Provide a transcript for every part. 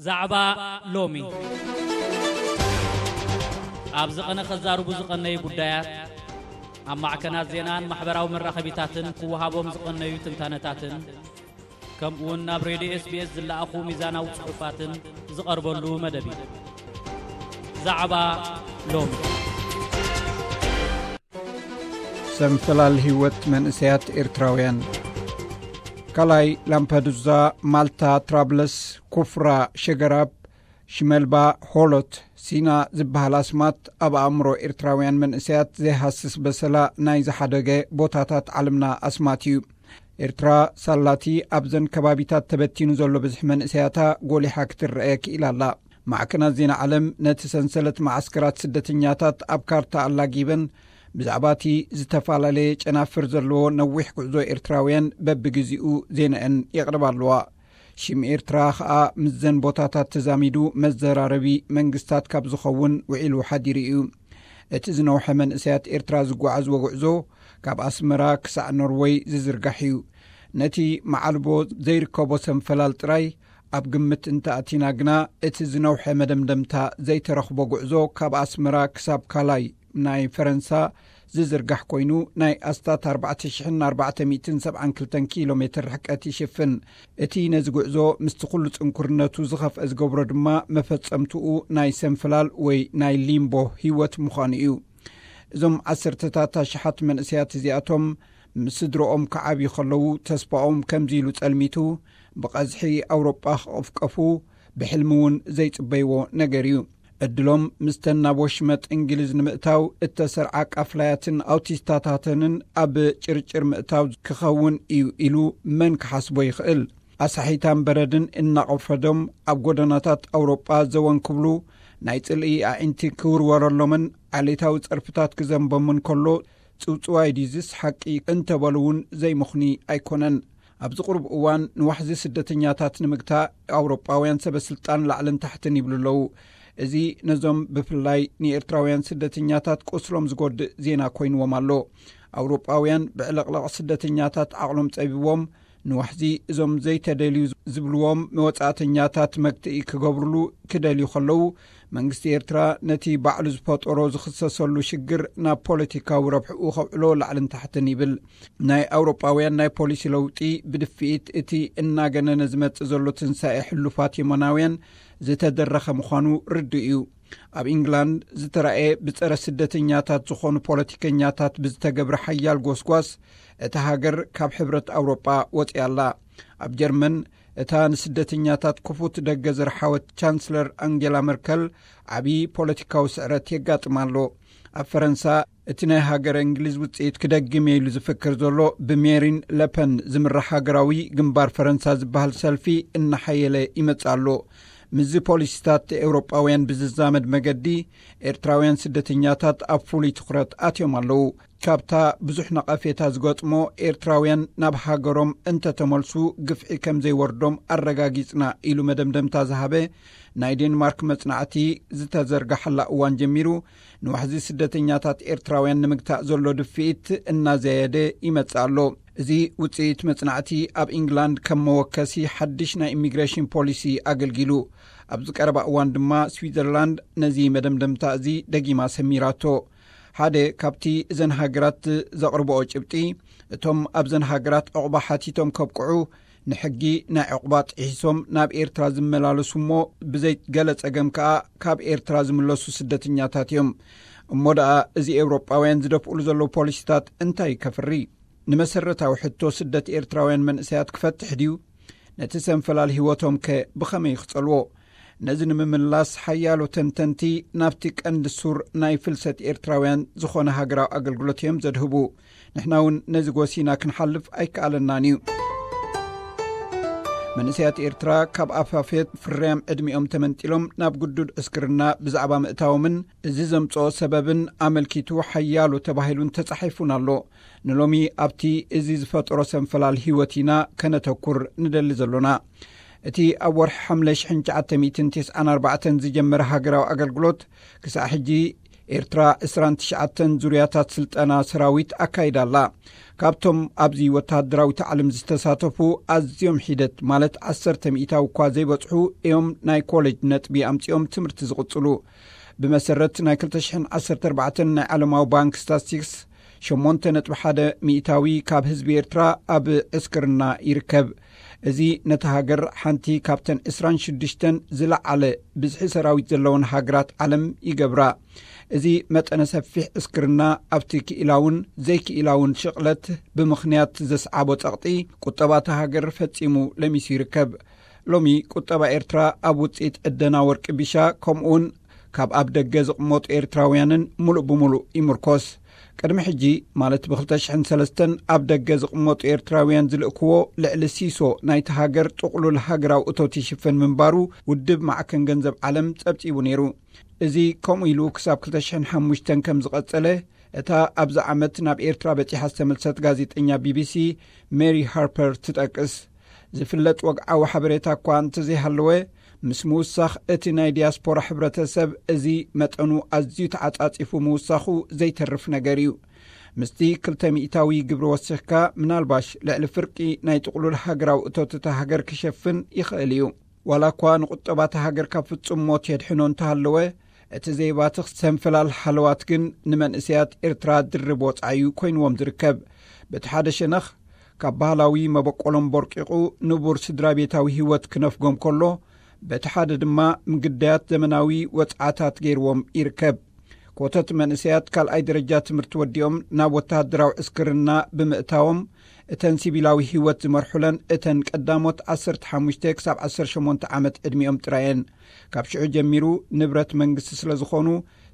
ዛዕባ ሎሚ። ኣብዚ ቐነ ከዛርቡ ዝቐነዩ ጉዳያት፣ ኣብ ማዕከናት ዜናን ማሕበራዊ መራኸቢታትን ክወሃቦም ዝቐነዩ ትንታነታትን፣ ከምኡውን ናብ ሬድዮ ኤስ ቢ ኤስ ዝለኣኹ ሚዛናዊ ጽሑፋትን ዝቐርበሉ መደብ እዩ። ዛዕባ ሎሚ። ሰንፈላል ህይወት መንእሰያት ኤርትራውያን። ካልኣይ፣ ላምፐዱዛ፣ ማልታ፣ ትራብለስ፣ ኩፍራ፣ ሸገራብ፣ ሽመልባ፣ ሆሎት፣ ሲና ዝበሃል ኣስማት ኣብ ኣእምሮ ኤርትራውያን መንእሰያት ዘይሃስስ በሰላ ናይ ዝሓደገ ቦታታት ዓለምና ኣስማት እዩ። ኤርትራ ሳላቲ ኣብዘን ከባቢታት ተበቲኑ ዘሎ ብዝሒ መንእሰያታ ጎሊሓ ክትረአ ክኢላ ኣላ። ማዕከናት ዜና ዓለም ነቲ ሰንሰለት መዓስከራት ስደተኛታት ኣብ ካርታ ኣላጊበን፣ ብዛዕባ እቲ ዝተፈላለየ ጨናፍር ዘለዎ ነዊሕ ጉዕዞ ኤርትራውያን በብግዜኡ ዜናኤን የቕርባ ኣለዋ። ሽም ኤርትራ ኸኣ ምስዘን ቦታታት ተዛሚዱ መዘራረቢ መንግስታት ካብ ዝኸውን ውዒሉ ሓዲሩ እዩ። እቲ ዝነውሐ መንእሰያት ኤርትራ ዝጓዓዝዎ ጉዕዞ ካብ ኣስመራ ክሳዕ ኖርወይ ዝዝርጋሕ እዩ። ነቲ መዓልቦ ዘይርከቦ ሰንፈላል ጥራይ ኣብ ግምት እንተኣቲና ግና፣ እቲ ዝነውሐ መደምደምታ ዘይተረኽቦ ጉዕዞ ካብ ኣስመራ ክሳብ ካላይ ናይ ፈረንሳ ዝዝርጋሕ ኮይኑ፣ ናይ ኣስታት ኣርባዕተ ሽሕን ኣርባዕተ ሚእትን ሰብዓን ክልተን ኪሎ ሜትር ርሕቀት ይሽፍን። እቲ ነዚ ጉዕዞ ምስቲ ኩሉ ጽንኩርነቱ ዝኸፍአ ዝገብሮ ድማ መፈጸምትኡ ናይ ሰንፈላል ወይ ናይ ሊምቦ ህይወት ምዃኑ እዩ። እዞም ዓሰርተታት ኣሽሓት መንእሰያት እዚኣቶም ምስ ስድረኦም ክዓብዩ ከለዉ ተስፋኦም ከምዚ ኢሉ ጸልሚቱ፣ ብቐዝሒ ኣውሮጳ ክቕፍቀፉ ብሕልሚ እውን ዘይጽበይዎ ነገር እዩ። ዕድሎም ምስተን ናብ ወሽመጥ እንግሊዝ ንምእታው እተሰርዓ ቃፍላያትን ኣውቲስታታተንን ኣብ ጭርጭር ምእታው ክኸውን እዩ ኢሉ መን ክሓስቦ ይኽእል? ኣሳሒታን በረድን እናቐፈዶም ኣብ ጎደናታት ኣውሮጳ ዘወን ክብሉ፣ ናይ ጽልኢ ኣዒንቲ ክውርወረሎምን ዓሌታዊ ጸርፍታት ክዘንቦምን ከሎ፣ ጽውጽዋይ ድዩዝስ ሓቂ እንተበሉ እውን ዘይምኽኒ ኣይኮነን። ኣብዚ ቁሩብ እዋን ንዋሕዚ ስደተኛታት ንምግታእ ኣውሮጳውያን ሰበ ስልጣን ላዕልን ታሕትን ይብሉ ኣለዉ። እዚ ነዞም ብፍላይ ንኤርትራውያን ስደተኛታት ቁስሎም ዝጎድእ ዜና ኮይንዎም ኣሎ። ኣውሮጳውያን ብዕልቕልቕ ስደተኛታት ዓቕሎም ጸቢቦም፣ ንዋሕዚ እዞም ዘይተደልዩ ዝብልዎም መወጻእተኛታት መግትኢ ክገብርሉ ክደልዩ ከለዉ፣ መንግስቲ ኤርትራ ነቲ ባዕሉ ዝፈጠሮ ዝኽሰሰሉ ሽግር ናብ ፖለቲካዊ ረብሕኡ ከውዕሎ ላዕልን ታሕትን ይብል። ናይ ኣውሮጳውያን ናይ ፖሊሲ ለውጢ ብድፍኢት እቲ እናገነነ ዝመጽእ ዘሎ ትንሳኤ ሕሉፋት የመናውያን ዝተደረኸ ምዃኑ ርዱእ እዩ። ኣብ ኢንግላንድ ዝተራእየ ብጸረ ስደተኛታት ዝኾኑ ፖለቲከኛታት ብዝተገብረ ሓያል ጎስጓስ፣ እታ ሃገር ካብ ሕብረት ኣውሮጳ ወጺኣ ኣላ። ኣብ ጀርመን፣ እታ ንስደተኛታት ክፉት ደገ ዝረሓወት ቻንስለር ኣንጌላ መርከል፣ ዓቢ ፖለቲካዊ ስዕረት የጋጥማ ኣሎ። ኣብ ፈረንሳ፣ እቲ ናይ ሃገረ እንግሊዝ ውጽኢት ክደግም እየ ኢሉ ዝፍክር ዘሎ ብሜሪን ለፐን ዝምራሕ ሃገራዊ ግንባር ፈረንሳ ዝበሃል ሰልፊ እናሓየለ ይመጽእ ኣሎ። ምስዚ ፖሊሲታት ኤውሮጳውያን ብዝዛመድ መገዲ፣ ኤርትራውያን ስደተኛታት ኣብ ፍሉይ ትኹረት ኣትዮም ኣለዉ። ካብታ ብዙሕ ነቐፌታ ዝገጥሞ ኤርትራውያን ናብ ሃገሮም እንተተመልሱ ግፍዒ ከም ዘይወርዶም ኣረጋጊጽና ኢሉ መደምደምታ ዝሃበ ናይ ዴንማርክ መጽናዕቲ፣ ዝተዘርጋሓላ እዋን ጀሚሩ ንዋሕዚ ስደተኛታት ኤርትራውያን ንምግታእ ዘሎ ድፍኢት እናዘየደ ይመጽእ ኣሎ። እዚ ውጽኢት መጽናዕቲ ኣብ ኢንግላንድ ከም መወከሲ ሓድሽ ናይ ኢሚግሬሽን ፖሊሲ ኣገልጊሉ። ኣብዚ ቀረባ እዋን ድማ ስዊዘርላንድ ነዚ መደምደምታ እዚ ደጊማ ሰሚራቶ። ሓደ ካብቲ እዘን ሃገራት ዘቕርብኦ ጭብጢ፣ እቶም ኣብዘን ሃገራት ዕቑባ ሓቲቶም ከብቅዑ፣ ንሕጊ ናይ ዕቑባ ጥሒሶም ናብ ኤርትራ ዝመላለሱ እሞ ብዘይ ገለ ጸገም ከኣ ካብ ኤርትራ ዝምለሱ ስደተኛታት እዮም። እሞ ደኣ እዚ ኤውሮጳውያን ዝደፍኡሉ ዘለዉ ፖሊሲታት እንታይ ከፍሪ? ንመሰረታዊ ሕቶ ስደት ኤርትራውያን መንእሰያት ክፈትሕ ድዩ? ነቲ ሰንፈላል ህይወቶም ከ ብኸመይ ክጸልዎ? ነዚ ንምምላስ ሓያሎ ተንተንቲ ናብቲ ቀንዲ ሱር ናይ ፍልሰት ኤርትራውያን ዝኾነ ሃገራዊ ኣገልግሎት እዮም ዘድህቡ። ንሕና እውን ነዚ ጎሲና ክንሓልፍ ኣይከኣለናን እዩ። መንእሰያት ኤርትራ ካብ ኣፋፌት ፍርያም ዕድሚኦም ተመንጢሎም ናብ ግዱድ ዕስክርና ብዛዕባ ምእታዎምን እዚ ዘምጽኦ ሰበብን ኣመልኪቱ ሓያሎ ተባሂሉን ተጻሒፉን ኣሎ። ንሎሚ ኣብቲ እዚ ዝፈጠሮ ሰንፈላል ህይወት ኢና ከነተኩር ንደሊ ዘሎና። እቲ ኣብ ወርሒ ሓምለ ሽሕን ትሽዓተ ሚእትን ተስዓን ኣርባዕተን ዝጀመረ ሃገራዊ ኣገልግሎት ክሳዕ ሕጂ ኤርትራ ዕስራን ትሽዓተን ዙርያታት ስልጠና ሰራዊት ኣካይዳ ኣላ። ካብቶም ኣብዚ ወተሃደራዊ ታዕልም ዝተሳተፉ ኣዝዮም ሒደት፣ ማለት ዓሰርተ ሚእታዊ እኳ ዘይበጽሑ እዮም፣ ናይ ኮሌጅ ነጥቢ ኣምጺኦም ትምህርቲ ዝቕጽሉ። ብመሰረት ናይ ክልተ ሽሕን ዓሰርተ ኣርባዕተን ናይ ዓለማዊ ባንክ ስታትስቲክስ፣ ሸሞንተ ነጥቢ ሓደ ሚእታዊ ካብ ህዝቢ ኤርትራ ኣብ ዕስክርና ይርከብ። እዚ ነቲ ሃገር ሓንቲ ካብተን ዕስራን ሽዱሽተን ዝለዓለ ብዝሒ ሰራዊት ዘለወን ሃገራት ዓለም ይገብራ። እዚ መጠነ ሰፊሕ ዕስክርና ኣብቲ ክኢላውን ዘይክኢላውን ሽቕለት ብምኽንያት ዘስዓቦ ጸቕጢ፣ ቁጠባታ ሃገር ፈጺሙ ለሚሱ ይርከብ። ሎሚ ቁጠባ ኤርትራ ኣብ ውጽኢት ዕደና ወርቂ ቢሻ፣ ከምኡውን ካብ ኣብ ደገ ዝቕመጡ ኤርትራውያንን ሙሉእ ብሙሉእ ይምርኮስ። ቅድሚ ሕጂ፣ ማለት ብ ክልተ ሽሕን ሰለስተን፣ ኣብ ደገ ዝቕመጡ ኤርትራውያን ዝልእክዎ ልዕሊ ሲሶ ናይቲ ሃገር ጥቕሉል ሃገራዊ እቶት ይሽፍን ምንባሩ ውድብ ማዕከን ገንዘብ ዓለም ጸብጺቡ ነይሩ። እዚ ከምኡ ኢሉ ክሳብ ክልተ ሽሕን ሓሙሽተን ከም ዝቐጸለ፣ እታ ኣብዚ ዓመት ናብ ኤርትራ በጺሓ ዝተመልሰት ጋዜጠኛ ቢቢሲ ሜሪ ሃርፐር ትጠቅስ። ዝፍለጥ ወግዓዊ ሓበሬታ እኳ እንተዘይሃለወ፣ ምስ ምውሳኽ እቲ ናይ ዲያስፖራ ሕብረተሰብ፣ እዚ መጠኑ ኣዝዩ ተዓጻጺፉ ምውሳኹ ዘይተርፍ ነገር እዩ። ምስቲ ክልተ ሚእታዊ ግብሪ ወሲኽካ፣ ምናልባሽ ልዕሊ ፍርቂ ናይ ጥቕሉል ሃገራዊ እቶት እታ ሃገር ክሸፍን ይኽእል እዩ። ዋላ እኳ ንቁጠባታ ሃገር ካብ ፍጹም ሞት የድሕኖ እንተሃለወ፣ እቲ ዘይባትኽ ሰንፈላል ሃለዋት ግን ንመንእሰያት ኤርትራ ድርብ ወጻኢ'ዩ ኮይንዎም ዝርከብ። በቲ ሓደ ሸነኽ፣ ካብ ባህላዊ መበቆሎም ቦርቂቑ ንቡር ስድራ ቤታዊ ህይወት ክነፍጎም ከሎ፣ በቲ ሓደ ድማ ምግዳያት ዘመናዊ ወጽዓታት ገይርዎም ይርከብ። ኮተት መንእሰያት ካልኣይ ደረጃ ትምህርቲ ወዲኦም ናብ ወተሃደራዊ ዕስክርና ብምእታዎም፣ እተን ሲቪላዊ ህይወት ዝመርሑለን እተን ቀዳሞት ዓሰርተ ሓሙሽተ ክሳብ ዓሰርተ ሸሞንተ ዓመት ዕድሚኦም ጥራየን። ካብ ሽዑ ጀሚሩ ንብረት መንግስቲ ስለ ዝኾኑ፣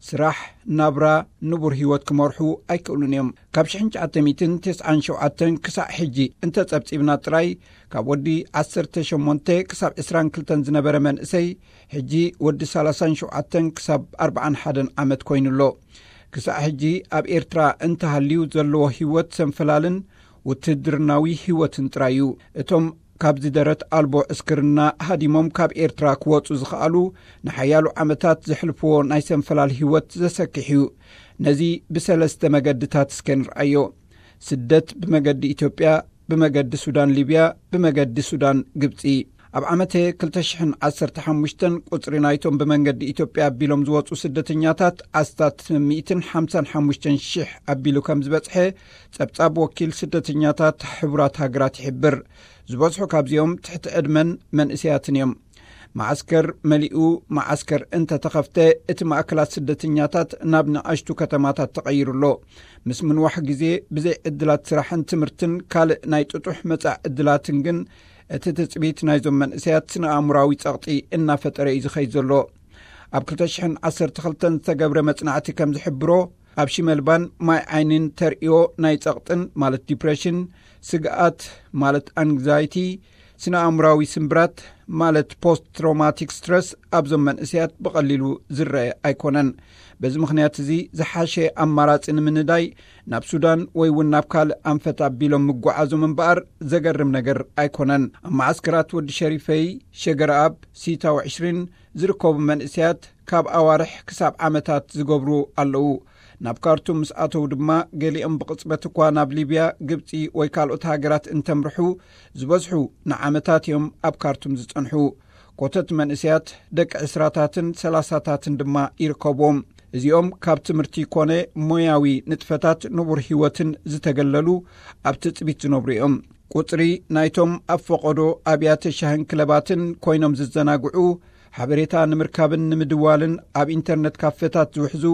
ስራሕ፣ ናብራ፣ ንቡር ህይወት ክመርሑ ኣይክእሉን እዮም። ካብ ሽሕን ትሽዓተ ሚእትን ተስዓን ሸውዓተን ክሳዕ ሕጂ እንተጸብጺብና ጥራይ፣ ካብ ወዲ ዓሰርተ ሸሞንተ ክሳብ ዕስራን ክልተን ዝነበረ መንእሰይ፣ ሕጂ ወዲ ሰላሳን ሸውዓተን ክሳብ ኣርባዓን ሓደን ዓመት ኮይኑ ኣሎ። ክሳዕ ሕጂ ኣብ ኤርትራ እንተሃልዩ ዘለዎ ህይወት ሰንፈላልን ውትድርናዊ ህይወትን ጥራይ እዩ። እቶም ካብዚ ደረት ኣልቦ ዕስክርና ሃዲሞም ካብ ኤርትራ ክወጹ ዝኸኣሉ፣ ንሓያሎ ዓመታት ዘሕልፍዎ ናይ ሰንፈላል ህይወት ዘሰክሕ እዩ። ነዚ ብሰለስተ መገድታት እስከ ንርኣዮ። ስደት ብመገዲ ኢትዮጵያ፣ ብመገዲ ሱዳን ሊብያ፣ ብመገዲ ሱዳን ግብጺ። ኣብ ዓመተ ክልተ ሽሕን ዓሰርተ ሓሙሽተን ቁጽሪ ናይቶም ብመንገዲ ኢትዮጵያ ኣቢሎም ዝወጹ ስደተኛታት ኣስታት ሚእትን ሓምሳን ሓሙሽተን ሽሕ ኣቢሉ ከም ዝበጽሐ ጸብጻብ ወኪል ስደተኛታት ሕቡራት ሃገራት ይሕብር። ዝበዝሑ ካብዚኦም ትሕቲ ዕድመን መንእሰያትን እዮም። መዓስከር መሊኡ፣ መዓስከር እንተተኸፍተ፣ እቲ ማእከላት ስደተኛታት ናብ ንኣሽቱ ከተማታት ተቐይሩ ኣሎ። ምስ ምንዋሕ ግዜ፣ ብዘይ ዕድላት ስራሕን ትምህርትን ካልእ ናይ ጥጡሕ መጻኢ ዕድላትን ግን፣ እቲ ትጽቢት ናይዞም መንእሰያት ስነ-ኣእምሮኣዊ ጸቕጢ እናፈጠረ እዩ ዝኸይድ ዘሎ። ኣብ ክልተ ሽሕን ዓሰርተ ክልተን ዝተገብረ መጽናዕቲ ከም ዝሕብሮ፣ ኣብ ሽመልባን ማይ ዓይንን ተርእዮ ናይ ጸቕጥን፣ ማለት ዲፕሬሽን፣ ስግኣት፣ ማለት ኣንግዛይቲ፣ ስነ-ኣእምሮኣዊ ስምብራት፣ ማለት ፖስት ትራውማቲክ ስትረስ፣ ኣብዞም መንእሰያት ብቐሊሉ ዝረአ ኣይኮነን። በዚ ምኽንያት እዚ፣ ዝሓሸ ኣማራጺ ንምንዳይ ናብ ሱዳን ወይ እውን ናብ ካልእ ኣንፈት ኣቢሎም ምጉዓዞም እምበኣር ዘገርም ነገር ኣይኮነን። ኣብ መዓስከራት ወዲ ሸሪፈይ፣ ሸገረኣብ፣ ሲታው ዕሽሪን ዝርከቡ መንእሰያት ካብ ኣዋርሕ ክሳብ ዓመታት ዝገብሩ ኣለዉ። ናብ ካርቱም ምስ ኣተዉ ድማ፣ ገሊኦም ብቕጽበት እኳ ናብ ሊብያ፣ ግብጺ ወይ ካልኦት ሃገራት እንተምርሑ፣ ዝበዝሑ ንዓመታት እዮም ኣብ ካርቱም ዝጸንሑ። ኮተት መንእሰያት ደቂ ዕስራታትን ሰላሳታትን ድማ ይርከብዎም። እዚኦም ካብ ትምህርቲ ኮነ ሞያዊ ንጥፈታት ንቡር ህይወትን ዝተገለሉ፣ ኣብ ትጽቢት ዝነብሩ እዮም። ቁጽሪ ናይቶም ኣብ ፈቐዶ ኣብያተ ሻህን ክለባትን ኮይኖም ዝዘናግዑ፣ ሓበሬታ ንምርካብን ንምድዋልን ኣብ ኢንተርነት ካፌታት ዝውሕዙ፣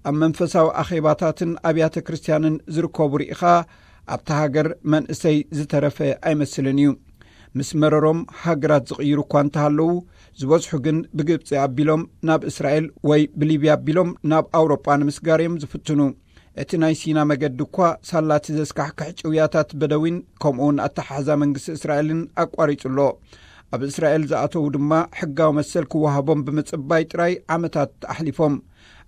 ኣብ መንፈሳዊ ኣኼባታትን ኣብያተ ክርስትያንን ዝርከቡ ርኢኻ፣ ኣብታ ሃገር መንእሰይ ዝተረፈ ኣይመስልን እዩ። ምስ መረሮም ሃገራት ዝቕይሩ እኳ እንተሃለዉ፣ ዝበዝሑ ግን ብግብጺ ኣቢሎም ናብ እስራኤል ወይ ብሊብያ ኣቢሎም ናብ ኣውሮጳ ንምስጋር እዮም ዝፍትኑ። እቲ ናይ ሲና መገዲ እኳ ሳላቲ ዘስካሕክሕ ጭውያታት በደዊን ከምኡውን ኣተሓሕዛ መንግስቲ እስራኤልን ኣቋሪጹ ኣሎ። ኣብ እስራኤል ዝኣተዉ ድማ ሕጋዊ መሰል ክወሃቦም ብምጽባይ ጥራይ ዓመታት ኣሕሊፎም።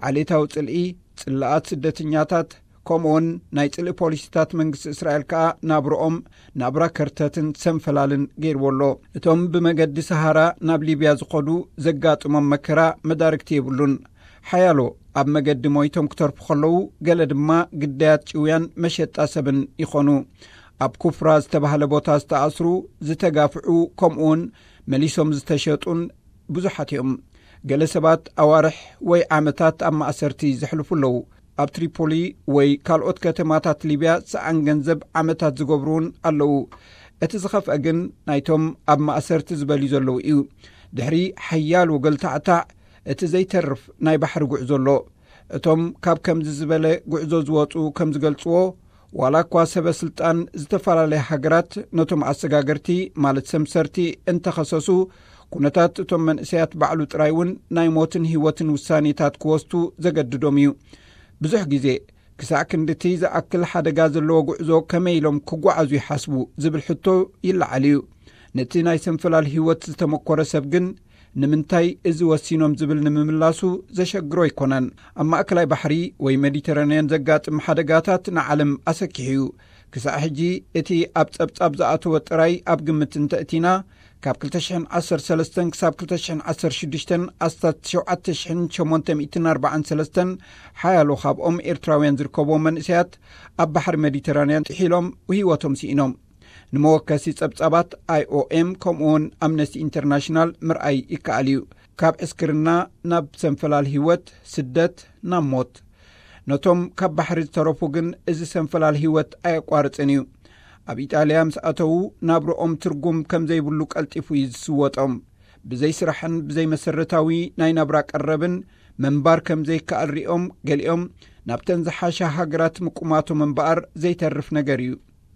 ዓሌታዊ ጽልኢ፣ ጽላኣት ስደተኛታት፣ ከምኡውን ናይ ጽልኢ ፖሊሲታት መንግስቲ እስራኤል ከኣ ናብርኦም ናብራ ከርተትን ሰንፈላልን ገይርዎ ኣሎ። እቶም ብመገዲ ሰሃራ ናብ ሊብያ ዝኸዱ ዘጋጥሞም መከራ መዳርግቲ የብሉን። ሓያሎ ኣብ መገዲ ሞይቶም ክተርፉ ከለዉ፣ ገለ ድማ ግዳያት ጭውያን መሸጣ ሰብን ይኾኑ። ኣብ ኩፍራ ዝተባህለ ቦታ ዝተኣስሩ፣ ዝተጋፍዑ፣ ከምኡውን መሊሶም ዝተሸጡን ብዙሓት እዮም። ገለ ሰባት ኣዋርሕ ወይ ዓመታት ኣብ ማእሰርቲ ዘሕልፉ ኣለዉ። ኣብ ትሪፖሊ ወይ ካልኦት ከተማታት ሊብያ ሰኣን ገንዘብ ዓመታት ዝገብሩ እውን ኣለዉ። እቲ ዝኸፍአ ግን ናይቶም ኣብ ማእሰርቲ ዝበልዩ ዘለዉ እዩ። ድሕሪ ሓያሎ ገልታዕታዕ እቲ ዘይተርፍ ናይ ባሕሪ ጉዕዞ ኣሎ። እቶም ካብ ከምዚ ዝበለ ጉዕዞ ዝወጹ ከም ዝገልጽዎ፣ ዋላ እኳ ሰበ ስልጣን ዝተፈላለያ ሃገራት ነቶም ኣሰጋገርቲ ማለት ሰምሰርቲ እንተኸሰሱ፣ ኩነታት እቶም መንእሰያት ባዕሉ ጥራይ እውን ናይ ሞትን ህይወትን ውሳኔታት ክወስዱ ዘገድዶም እዩ። ብዙሕ ግዜ ክሳዕ ክንድቲ ዝኣክል ሓደጋ ዘለዎ ጉዕዞ ከመይ ኢሎም ክጓዓዙ ይሓስቡ ዝብል ሕቶ ይለዓል እዩ። ነቲ ናይ ሰንፈላል ህይወት ዝተመኮረ ሰብ ግን ንምንታይ እዚ ወሲኖም ዝብል ንምምላሱ ዘሸግሮ ኣይኮነን። ኣብ ማእከላይ ባሕሪ ወይ ሜዲተራንያን ዘጋጥም ሓደጋታት ንዓለም ኣሰኪሑ እዩ። ክሳዕ ሕጂ እቲ ኣብ ጸብጻብ ዝኣተወ ጥራይ ኣብ ግምት እንተእቲና፣ ካብ ክልተ ሽሕን ዓሰርተ ሰለስተን ክሳብ ክልተ ሽሕን ዓሰርተ ሽዱሽተን ኣስታት ሸውዓተ ሽሕን ሸሞንተ ሚእትን ኣርባዓን ሰለስተን ሓያሎ ካብኦም ኤርትራውያን ዝርከብዎም መንእሰያት ኣብ ባሕሪ ሜዲተራንያን ጥሒሎም ህይወቶም ስኢኖም። ንመወከሲ ጸብጻባት ኣይኦኤም ከምኡውን ኣምነስቲ ኢንተርናሽናል ምርኣይ ይከኣል እዩ። ካብ ዕስክርና ናብ ሰንፈላል ህይወት፣ ስደት፣ ናብ ሞት። ነቶም ካብ ባሕሪ ዝተረፉ ግን እዚ ሰንፈላል ህይወት ኣየቋርጽን እዩ። ኣብ ኢጣልያ ምስ ኣተዉ ናብርኦም ትርጉም ከም ዘይብሉ ቀልጢፉ እዩ ዝስወጦም። ብዘይ ስራሕን ብዘይ መሰረታዊ ናይ ናብራ ቀረብን ምንባር ከም ዘይከኣል ሪኦም፣ ገሊኦም ናብተን ዝሓሻ ሃገራት ምቁማቶም እምበኣር ዘይተርፍ ነገር እዩ።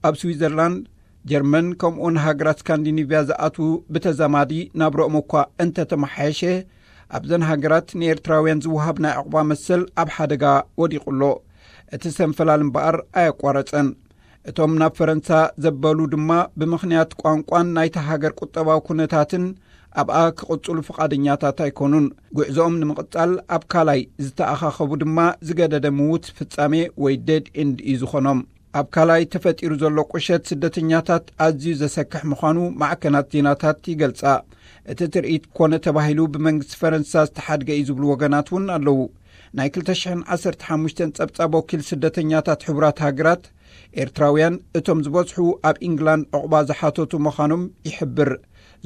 ኣብ ስዊዘርላንድ፣ ጀርመን ከምኡውን ሃገራት ስካንዲኒቭያ ዝኣትዉ ብተዛማዲ ናብርኦም እኳ እንተተመሓየሸ፣ ኣብዘን ሃገራት ንኤርትራውያን ዝወሃብ ናይ ዕቑባ መሰል ኣብ ሓደጋ ወዲቑ ኣሎ። እቲ ሰንፈላል እምበኣር ኣየቋረጸን። እቶም ናብ ፈረንሳ ዘበሉ ድማ ብምኽንያት ቋንቋን ናይቲ ሃገር ቁጠባዊ ኩነታትን ኣብኣ ክቕጽሉ ፍቓደኛታት ኣይኮኑን። ጉዕዞኦም ንምቕጻል ኣብ ካላይ ዝተኣኻኸቡ ድማ ዝገደደ ምዉት ፍጻሜ ወይ ዴድ ኤንድ እዩ ዝኾኖም። ኣብ ካላይ ተፈጢሩ ዘሎ ቁሸት ስደተኛታት ኣዝዩ ዘሰክሕ ምዃኑ ማዕከናት ዜናታት ይገልጻ። እቲ ትርኢት ኮነ ተባሂሉ ብመንግስቲ ፈረንሳ ዝተሓድገ እዩ ዝብሉ ወገናት እውን ኣለዉ። ናይ ክልተ ሽሕን ዓሰርተ ሓሙሽተን ጸብጻብ ወኪል ስደተኛታት ሕቡራት ሃገራት፣ ኤርትራውያን እቶም ዝበዝሑ ኣብ ኢንግላንድ ዕቑባ ዝሓተቱ ምዃኖም ይሕብር።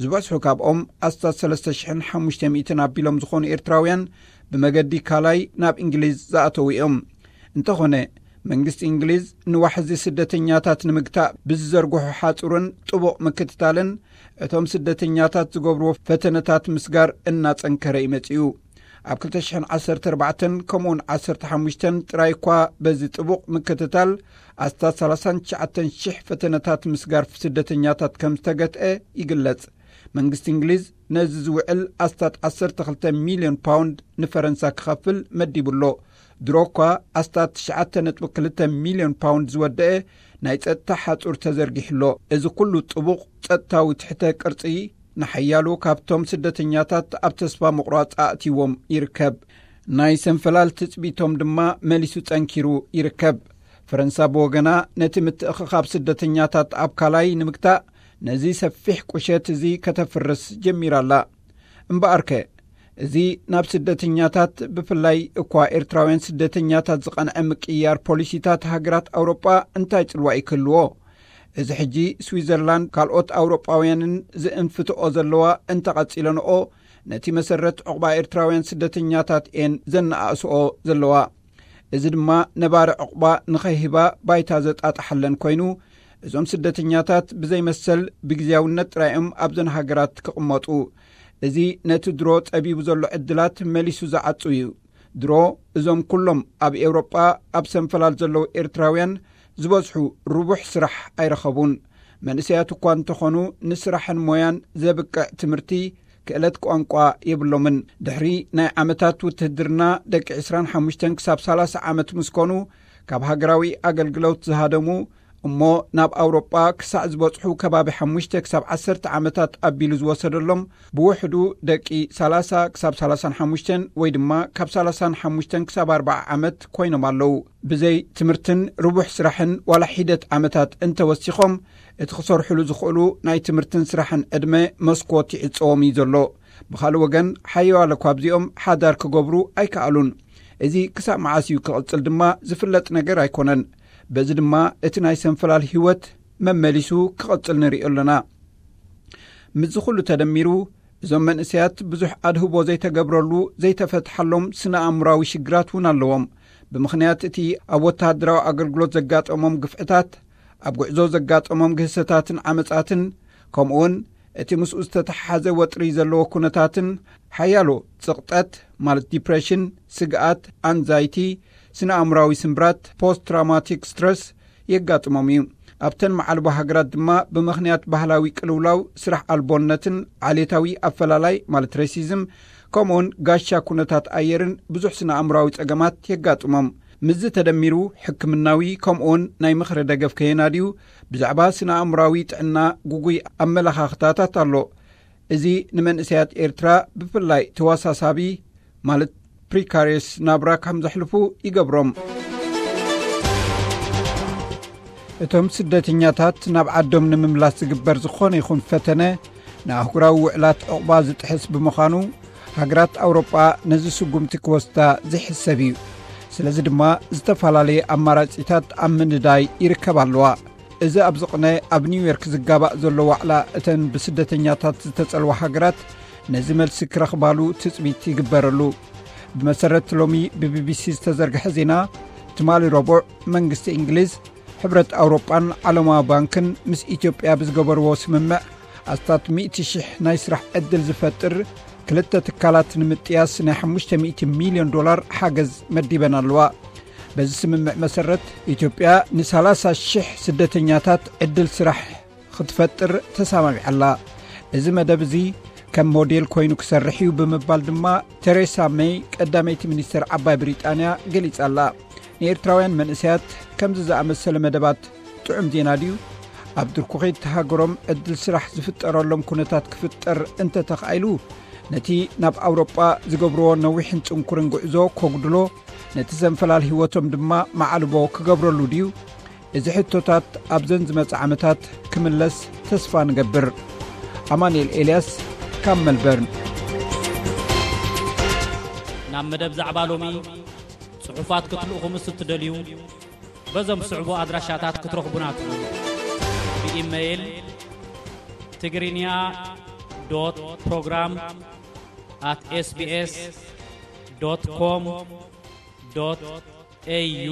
ዝበዝሑ ካብኦም ኣስታት ሰለስተ ሽሕን ሓሙሽተ ሚእትን ኣቢሎም ዝኾኑ ኤርትራውያን ብመገዲ ካላይ ናብ እንግሊዝ ዝኣተዉ እዮም። እንተኾነ፣ መንግስቲ እንግሊዝ ንዋሕዚ ስደተኛታት ንምግታእ ብዝዘርግሖ ሓጹርን ጥቡቕ ምክትታልን፣ እቶም ስደተኛታት ዝገብርዎ ፈተነታት ምስጋር እናጸንከረ እዩ መጺኡ። ኣብ ክልተ ሽሕን ዓሰርተ ኣርባዕተን ከምኡውን ዓሰርተ ሓሙሽተን ጥራይ እኳ በዚ ጥቡቕ ምክትታል ኣስታት ሰላሳን ትሽዓተን ሽሕ ፈተነታት ምስጋር ስደተኛታት ከም ዝተገትአ ይግለጽ። መንግስቲ እንግሊዝ ነዚ ዝውዕል ኣስታት ዓሰርተ ክልተ ሚልዮን ፓውንድ ንፈረንሳ ክኸፍል መዲቡ ኣሎ። ድሮ እኳ ኣስታት ትሽዓተ ነጥቢ ክልተ ሚልዮን ፓውንድ ዝወደአ ናይ ጸጥታ ሓጹር ተዘርጊሑ ኣሎ። እዚ ኩሉ ጥቡቕ ጸጥታዊ ትሕተ ቅርጺ ንሓያሎ ካብቶም ስደተኛታት ኣብ ተስፋ ምቑራጽ ኣእትይዎም ይርከብ። ናይ ሰንፈላል ትጽቢቶም ድማ መሊሱ ጸንኪሩ ይርከብ። ፈረንሳ ብወገና ነቲ ምትእኽኻብ ስደተኛታት ኣብ ካላይ ንምግታእ ነዚ ሰፊሕ ቁሸት እዚ ከተፍርስ ጀሚራ ኣላ። እምበኣርከ፣ እዚ ናብ ስደተኛታት፣ ብፍላይ እኳ ኤርትራውያን ስደተኛታት ዝቐንዐ ምቅይያር ፖሊሲታት ሃገራት ኣውሮጳ እንታይ ጽልዋ ይክህልዎ? እዚ ሕጂ ስዊዘርላንድ ካልኦት ኣውሮጳውያንን ዝእንፍትኦ ዘለዋ እንተቐጺለንኦ፣ ነቲ መሰረት ዕቑባ ኤርትራውያን ስደተኛታት እየን ዘነኣእስኦ ዘለዋ። እዚ ድማ ነባሪ ዕቑባ ንኸይህባ ባይታ ዘጣጥሓለን ኮይኑ፣ እዞም ስደተኛታት ብዘይመሰል ብግዜያውነት ጥራይ እዮም ኣብዘን ሃገራት ክቕመጡ። እዚ ነቲ ድሮ ጸቢቡ ዘሎ ዕድላት መሊሱ ዝዓጹ እዩ። ድሮ እዞም ኩሎም ኣብ ኤውሮጳ ኣብ ሰንፈላል ዘለዉ ኤርትራውያን ዝበዝሑ ርቡሕ ስራሕ ኣይረኸቡን። መንእሰያት እኳ እንተኾኑ፣ ንስራሕን ሞያን ዘብቅዕ ትምህርቲ፣ ክእለት ቋንቋ የብሎምን። ድሕሪ ናይ ዓመታት ውትህድርና፣ ደቂ ዕስራን ሓሙሽተን ክሳብ ሰላሳ ዓመት ምስ ኮኑ፣ ካብ ሃገራዊ ኣገልግሎት ዝሃደሙ፣ እሞ ናብ ኣውሮጳ ክሳዕ ዝበጽሑ ከባቢ ሓሙሽተ ክሳብ ዓሰርተ ዓመታት ኣቢሉ ዝወሰደሎም፣ ብውሕዱ ደቂ ሰላሳ ክሳብ ሰላሳን ሓሙሽተን ወይ ድማ ካብ ሰላሳን ሓሙሽተን ክሳብ ኣርባዓ ዓመት ኮይኖም ኣለዉ። ብዘይ ትምህርትን ርቡሕ ስራሕን ዋላ ሒደት ዓመታት እንተወሲኾም፣ እቲ ክሰርሕሉ ዝኽእሉ ናይ ትምህርትን ስራሕን ዕድመ መስኮት ይዕጸዎም እዩ ዘሎ። ብኻልእ ወገን፣ ሓያሎ ካብዚኦም ሓዳር ክገብሩ ኣይከኣሉን። እዚ ክሳብ መዓስ እዩ ክቕጽል ድማ ዝፍለጥ ነገር ኣይኮነን። በዚ ድማ እቲ ናይ ሰንፈላል ህይወት መመሊሱ ክቕጽል ንሪኦ ኣለና። ምስዚ ኩሉ ተደሚሩ፣ እዞም መንእሰያት ብዙሕ ኣድህቦ ዘይተገብረሉ፣ ዘይተፈትሓሎም ስነ ኣእምራዊ ሽግራት እውን ኣለዎም። ብምኽንያት እቲ ኣብ ወተሃደራዊ ኣገልግሎት ዘጋጠሞም ግፍዕታት፣ ኣብ ጉዕዞ ዘጋጠሞም ግህሰታትን ዓመጻትን፣ ከምኡውን እቲ ምስኡ ዝተተሓሓዘ ወጥሪ ዘለዎ ኩነታትን፣ ሓያሎ ጽቕጠት፣ ማለት ዲፕሬሽን፣ ስግኣት፣ ኣንዛይቲ፣ ስነ ኣእምራዊ ስምብራት፣ ፖስት ትራውማቲክ ስትረስ፣ የጋጥሞም እዩ። ኣብተን መዓልቦ ሃገራት ድማ፣ ብምኽንያት ባህላዊ ቅልውላው፣ ስራሕ ኣልቦነትን ዓሌታዊ ኣፈላላይ፣ ማለት ሬሲዝም፣ ከምኡውን ጋሻ ኩነታት ኣየርን ብዙሕ ስነ ኣእምራዊ ጸገማት የጋጥሞም። ምስዚ ተደሚሩ፣ ሕክምናዊ ከምኡውን ናይ ምኽሪ ደገፍ ከየናድዩ፣ ብዛዕባ ስነ ኣእምራዊ ጥዕና ግጉይ ኣመለኻኽታታት ኣሎ። እዚ ንመንእሰያት ኤርትራ ብፍላይ ተወሳሳቢ፣ ማለት ፕሪካሪየስ፣ ናብራ ከም ዘሕልፉ ይገብሮም። እቶም ስደተኛታት ናብ ዓዶም ንምምላስ ዝግበር ዝኾነ ይኹን ፈተነ፣ ንኣህጉራዊ ውዕላት ዕቑባ ዝጥሕስ ብምዃኑ፣ ሃገራት ኣውሮጳ ነዚ ስጉምቲ ክወስዳ ዝሕሰብ እዩ። ስለዚ ድማ፣ ዝተፈላለየ ኣማራጺታት ኣብ ምንዳይ ይርከባ ኣለዋ። እዚ ኣብ ዝቕነ ኣብ ኒውዮርክ ዝጋባእ ዘሎ ዋዕላ እተን ብስደተኛታት ዝተጸልዋ ሃገራት ነዚ መልሲ ክረኽባሉ ትጽቢት ይግበረሉ። ብመሰረት ሎሚ ብቢቢሲ ዝተዘርግሐ ዜና፣ ትማሊ ረቡዕ መንግስቲ እንግሊዝ፣ ሕብረት ኣውሮጳን ዓለማዊ ባንክን ምስ ኢትዮጵያ ብዝገበርዎ ስምምዕ ኣስታት ሚእቲ ሽሕ ናይ ስራሕ ዕድል ዝፈጥር ክልተ ትካላት ንምጥያስ ናይ ሓሙሽተ ሚእቲ ሚልዮን ዶላር ሓገዝ መዲበን ኣለዋ። በዚ ስምምዕ መሰረት፣ ኢትዮጵያ ንሰላሳ ሽሕ ስደተኛታት ዕድል ስራሕ ክትፈጥር ተሰማሚዓ ኣላ። እዚ መደብ እዚ ከም ሞዴል ኮይኑ ክሰርሕ እዩ ብምባል ድማ፣ ቴሬሳ ሜይ፣ ቀዳመይቲ ሚኒስተር ዓባይ ብሪጣንያ፣ ገሊጻ ኣላ። ንኤርትራውያን መንእሰያት ከምዚ ዝኣመሰለ መደባት ጥዑም ዜና ድዩ? ኣብ ድርኩኺት ሃገሮም ዕድል ስራሕ ዝፍጠረሎም ኩነታት ክፍጠር እንተተኻኢሉ፣ ነቲ ናብ ኣውሮጳ ዝገብርዎ ነዊሕን ጽንኩርን ጉዕዞ ከጉድሎ፣ ነቲ ዘንፈላል ህይወቶም ድማ መዓልቦ ክገብረሉ ድዩ? እዚ ሕቶታት ኣብዘን ዝመጽእ ዓመታት ክምለስ ተስፋ ንገብር። ኣማኑኤል ኤልያስ ካብ መልበርን። ናብ መደብ ዛዕባ ሎሚ ጽሑፋት ክትልእኹ ምስ እትደልዩ፣ በዞም ዝስዕቡ ኣድራሻታት ክትረኽቡና ትኽእሉ። ብኢመይል፣ ትግርኛ ዶት ፕሮግራም ኣት ኤስቢኤስ ዶት ኮም ዶት ኤዩ፣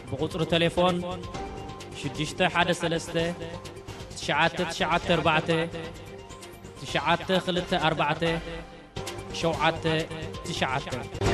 ብቁጽሪ ቴሌፎን ሽዱሽተ ሓደ ሰለስተ ትሽዓተ ትሽዓተ ኣርባዕተ ትሽዓተ ክልተ ኣርባዕተ ሸውዓተ ትሽዓተ።